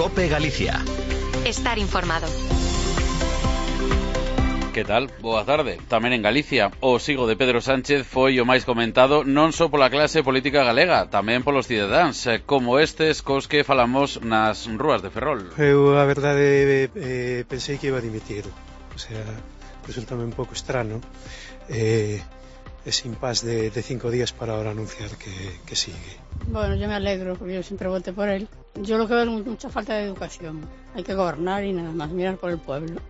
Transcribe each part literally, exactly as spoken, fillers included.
COPE Galicia. Estar informado. Que tal? Boa tarde. Tamén en Galicia, o sigo de Pedro Sánchez foi o máis comentado non só pola clase política galega, tamén polos cidadáns, como estes cos que falamos nas rúas de Ferrol. Eu, a verdade, eh, pensei que iba a dimitir. O sea, resultame un pouco estrano eh, ese impas de, de cinco días para ahora anunciar que, que sigue. Bueno, yo me alegro, porque yo siempre voté por él. Yo lo que veo es mucha falta de educación. Hay que gobernar y nada más, mirar por el pueblo.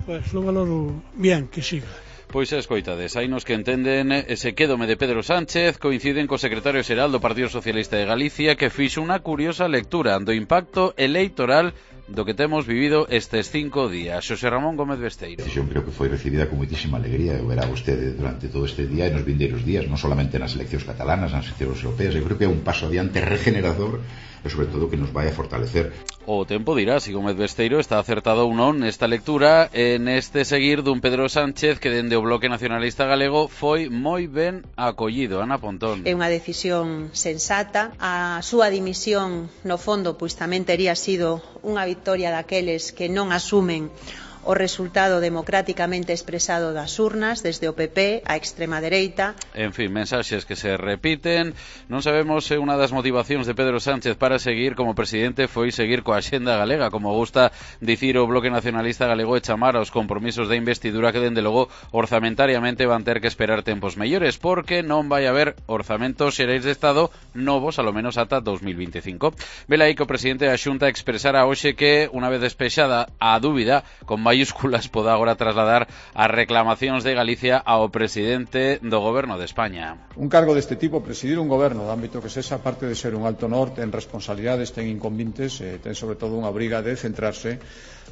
Pues lo valoro bien, que siga. Pois escoitades, hai nos que entenden ese quédome de Pedro Sánchez, coinciden co secretario xeral do Partido Socialista de Galicia, que fixo unha curiosa lectura do impacto electoral do que temos vivido estes cinco días. Xosé Ramón Gómez Besteiro. Eu creo que foi recibida con moitísima alegría. Eu verá vostede durante todo este día e nos vindeiros días, non solamente nas eleccións catalanas, nas eleccións europeas. Eu creo que é un paso adiante regenerador e sobre todo que nos vai a fortalecer. O tempo dirá se Gómez Besteiro está acertado ou non nesta lectura en este seguir dun Pedro Sánchez que dende o Bloque Nacionalista Galego foi moi ben acollido. Ana Pontón. É unha decisión sensata. A súa dimisión, no fondo, pois tamén tería sido unha victoria daqueles que non asumen o resultado democráticamente expresado das urnas, desde o P P á extrema dereita. En fin, mensaxes que se repiten. Non sabemos se unha das motivacións de Pedro Sánchez para seguir como presidente foi seguir coa axenda galega, como gusta dicir o Bloque Nacionalista Galego, e chamar aos compromisos de investidura que, dende logo, orzamentariamente van ter que esperar tempos mellores, porque non vai haber orzamentos xerais de Estado novos, alo menos ata dos mil veinticinco. Vela aí que o presidente da Xunta expresara hoxe que, unha vez despexada a dúbida, con mayúsculas poda agora trasladar as reclamacións de Galicia ao presidente do Goberno de España. Un cargo deste tipo, presidir un goberno de ámbito que sexa, parte de ser un alto honor, ten responsabilidades, ten inconvintes, eh, ten sobre todo unha obriga de centrarse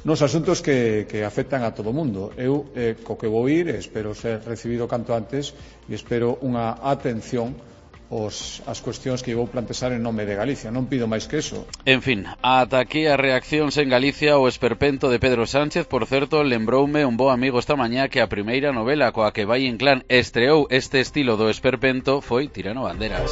nos asuntos que, que afectan a todo o mundo. Eu, eh, co que vou ir, espero ser recibido canto antes e espero unha atención Os, as cuestións que vou plantexar en nome de Galicia. Non pido máis que eso. En fin, ata aquí as reaccións en Galicia. O esperpento de Pedro Sánchez, por certo, lembroume un bo amigo esta mañá que a primeira novela coa que Valle Inclán estreou este estilo do esperpento foi Tirano Banderas.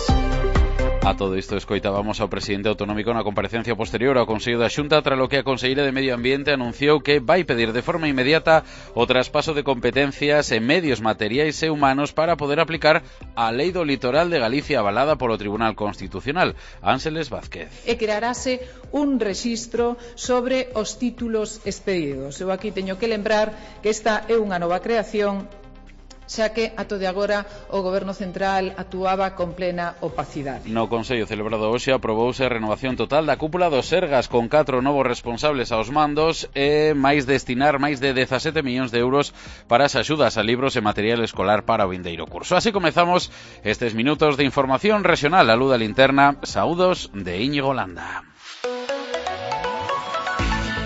A todo isto escoitábamos ao presidente autonómico na comparecencia posterior ao Consello da Xunta, tras lo que a conselleira de Medio Ambiente anunciou que vai pedir de forma inmediata o traspaso de competencias en medios materiais e humanos para poder aplicar a Lei do Litoral de Galicia avalada polo Tribunal Constitucional. Ángeles Vázquez. E crearase un rexistro sobre os títulos expedidos. Eu aquí teño que lembrar que esta é unha nova creación, xa que ato de agora o Goberno Central actuaba con plena opacidade. No Consello celebrado hoxe aprobouse a renovación total da cúpula do Sergas, con catro novos responsables aos mandos e máis destinar máis de dezasete millóns de euros para as axudas a libros e material escolar para o vindeiro curso. Así comezamos estes minutos de información regional. A Luda Linterna, saúdos de Íñigo Landa.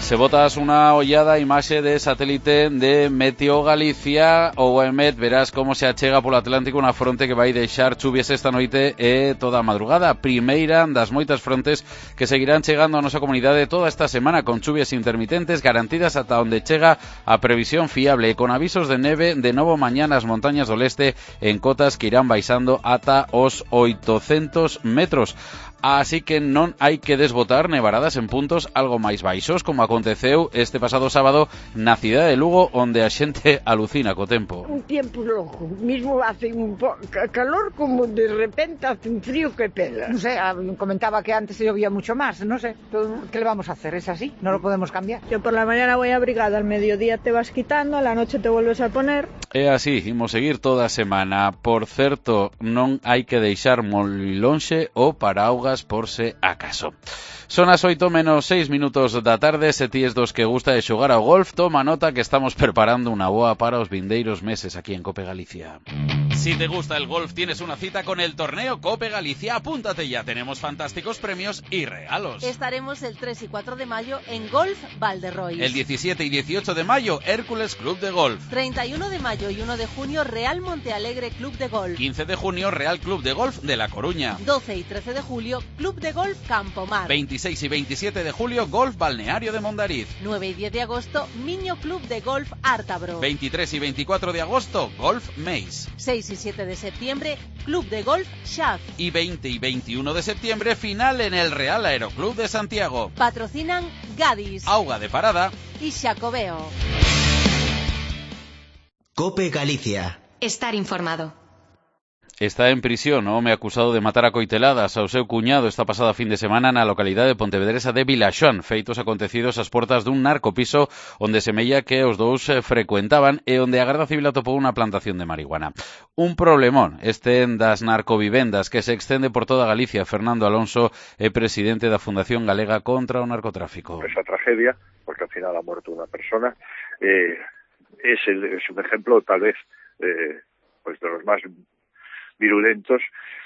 Se botas unha ollada a imaxe de satélite de Meteo Galicia ou EMET, verás como se achega polo Atlántico unha fronte que vai deixar chuvias esta noite e toda a madrugada. Primeira das moitas frontes que seguirán chegando a nosa comunidade toda esta semana, con chuvias intermitentes garantidas ata onde chega a previsión fiable e con avisos de neve de novo mañá nas montañas do leste en cotas que irán baixando ata os oitocentos metros. Así que non hai que desbotar nevaradas en puntos algo máis baixos, como aconteceu este pasado sábado na cidade de Lugo, onde a xente alucina co tempo. Un tiempo loco, mismo hace un calor como de repente hace un frío que pela. No sé, comentaba que antes se llovía mucho más, no sé, ¿qué le vamos a hacer? Es así, no lo podemos cambiar. Yo por la mañana voy abrigada, al mediodía te vas quitando, a la noche te vuelves a poner. É así, imos seguir toda a semana. Por certo, non hai que deixar moi lonxe o paraugas por se acaso. Son as oito menos seis minutos da tarde. Se ti es dos que gusta de xogar ao golf, toma nota que estamos preparando unha boa para os vindeiros meses aquí en COPE Galicia. Si te gusta el golf, tienes una cita con el torneo COPE Galicia. Apúntate ya, tenemos fantásticos premios y regalos. Estaremos el tres y cuatro de mayo en Golf Valderrois. El diecisiete y dieciocho de mayo, Hércules Club de Golf. treinta y uno de mayo y uno de junio, Real Montealegre Club de Golf. quince de junio, Real Club de Golf de La Coruña. doce y trece de julio, Club de Golf Campomar. veintiséis y veintisiete de julio, Golf Balneario de Mondariz. nueve y diez de agosto, Miño Club de Golf Ártabro. veintitrés y veinticuatro de agosto, Golf Meis. seis seis y siete de septiembre, Club de Golf Shaf. Y veinte y veintiuno de septiembre, final en el Real Aeroclub de Santiago. Patrocinan Gadis, Auga de Parada y Xacobeo. COPE Galicia. Estar informado. Está en prisión o home acusado de matar a coiteladas ao seu cuñado esta pasada fin de semana na localidade de Pontevedresa de Vilaxón, feitos acontecidos ás portas dun narcopiso onde semella que os dous frecuentaban e onde a Garda Civil atopou unha plantación de marihuana. Un problemón este das narcovivendas que se extende por toda Galicia. Fernando Alonso é presidente da Fundación Galega contra o Narcotráfico. Esa tragedia, porque al final ha muerto una persona, eh, es, el, es un ejemplo tal vez eh, pues de los más virulentos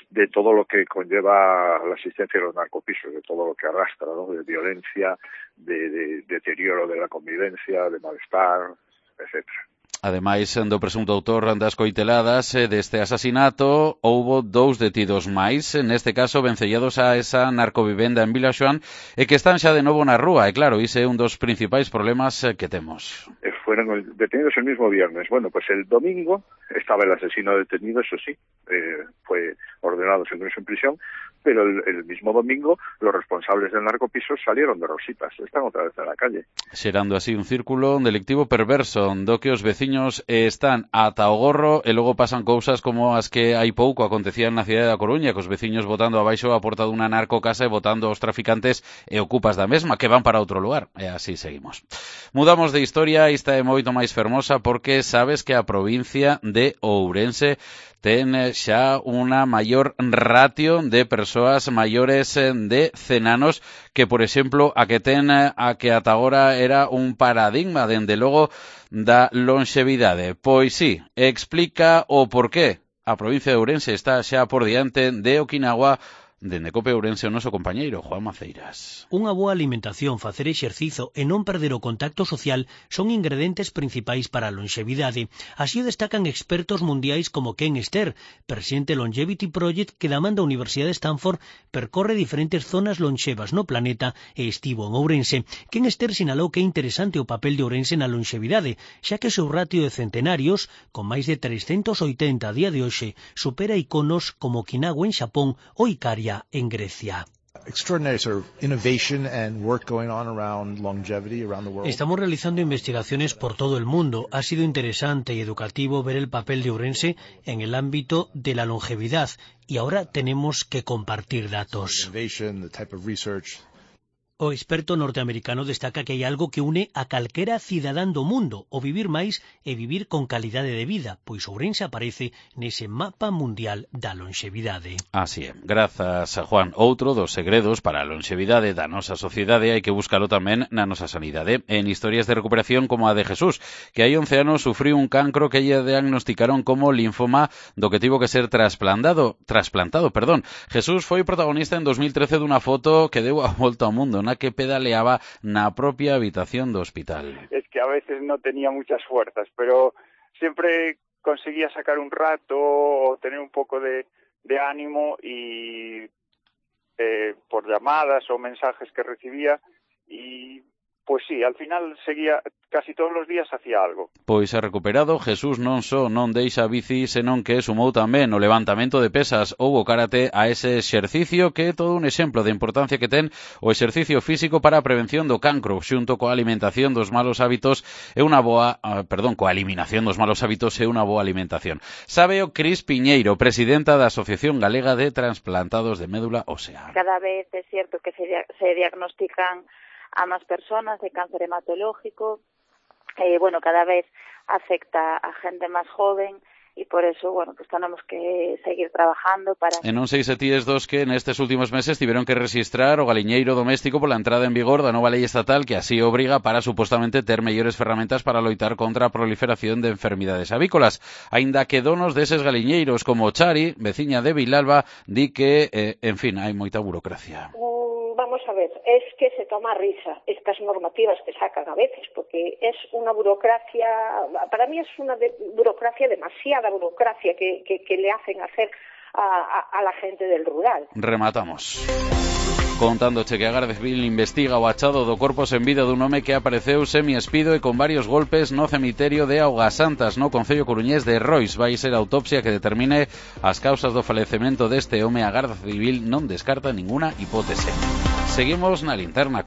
de todo lo que conlleva la existencia de los narcopisos, de todo lo que arrastra, ¿no? De violencia, de, de deterioro de la convivencia, de malestar, etcétera. Ademais do presunto autor das coiteladas deste asasinato, houbo dous detidos máis, neste caso vencellados a esa narcovivenda en Vilaxoán, e que están xa de novo na rúa, e claro, ise é un dos principais problemas que temos. Fueron detenidos el mismo viernes. Bueno, pues el domingo estaba el asesino detenido, eso sí, eh, fue ordenado su ingreso en prisión, pero el, el mismo domingo los responsables del narcopiso salieron de rositas, están otra vez en la calle. Xerando así un círculo delictivo perverso, do que os veciños están ata o gorro e logo pasan cousas como as que hai pouco acontecían na cidade da Coruña, cos veciños botando abaixo a porta dunha narcocasa e botando aos traficantes e ocupas da mesma, que van para outro lugar. E así seguimos. Mudamos de historia, esta é moito máis fermosa porque sabes que a provincia de Ourense ten xa unha maior ratio de persoas maiores de cen anos que, por exemplo, a que ten a que ata agora era un paradigma, dende logo, da lonxevidade. Pois sí, explica o porqué. A provincia de Ourense está xa por diante de Okinawa. Dende COPE Ourense o noso compañeiro Juan Maceiras. Unha boa alimentación, facer exercizo e non perder o contacto social son ingredientes principais para a lonxevidade. Así o destacan expertos mundiais como Ken Ster, presidente Longevity Project, que da man da Universidade de Stanford percorre diferentes zonas lonxevas no planeta e estivo en Ourense. Ken Ster sinalou que é interesante o papel de Ourense na lonxevidade, xa que o seu ratio de centenarios, con máis de trescentos oitenta a día de hoxe, supera iconos como Okinawa en Xapón ou Ikaria en Grecia. Estamos realizando investigaciones por todo el mundo. Ha sido interesante y educativo ver el papel de Ourense en el ámbito de la longevidad y ahora tenemos que compartir datos. O experto norteamericano destaca que hai algo que une a calquera cidadán do mundo, o vivir máis e vivir con calidade de vida, pois Ourense aparece nese mapa mundial da lonxevidade. Así é. Grazas a Juan. Outro dos segredos para a lonxevidade da nosa sociedade hai que buscalo tamén na nosa sanidade. En historias de recuperación como a de Jesús, que hai once anos sufriu un cancro que lle diagnosticaron como linfoma do que tivo que ser trasplantado, trasplantado, perdón. Jesús foi protagonista en dos mil trece dunha foto que deu a volta ao mundo, na que pedaleaba na propia habitación do hospital. Es que a veces no tenía muchas fuerzas, pero siempre conseguía sacar un rato o tener un poco de, de ánimo y eh, por llamadas o mensajes que recibía y pues sí, al final seguía, casi todos los días hacía algo. Pois ha recuperado, Jesús non só non deixa a bici, senón que sumou tamén o levantamento de pesas ou o karate a ese exercicio que é todo un exemplo de importancia que ten o exercicio físico para a prevención do cancro, xunto coa alimentación dos malos hábitos e unha boa, uh, perdón, coa eliminación dos malos hábitos e unha boa alimentación. Sabe o Cris Piñeiro, presidenta da Asociación Galega de Transplantados de Médula Ósea. Cada vez é cierto que se, se diagnostican a más personas de cáncer hematológico, eh, bueno, cada vez afecta a gente más joven y por eso, bueno, pues tenemos que seguir trabajando para... E non sei se ti es dos que nestes últimos meses tiveron que registrar o galiñeiro doméstico pola entrada en vigor da nova lei estatal que así obriga para supostamente ter mellores ferramentas para loitar contra a proliferación de enfermidades avícolas. Aínda que donos deses galiñeiros como Chari, veciña de Vilalba, di que, eh, en fin, hai moita burocracia. Vamos a ver, es que se toma risa estas normativas que sacan a veces, porque es una burocracia, para mí es una de, burocracia, demasiada burocracia que, que, que le hacen hacer a, a, a la gente del rural. Rematamos. Contándoche que a Garda Civil investiga o achado do corpo sen vida dun home que apareceu semi-espido e con varios golpes no cemiterio de Augasantas, no concello coruñés de Rois. Vai ser a autopsia que determine as causas do falecemento deste home. A Garda Civil non descarta ninguna hipótese. Seguimos na linterna.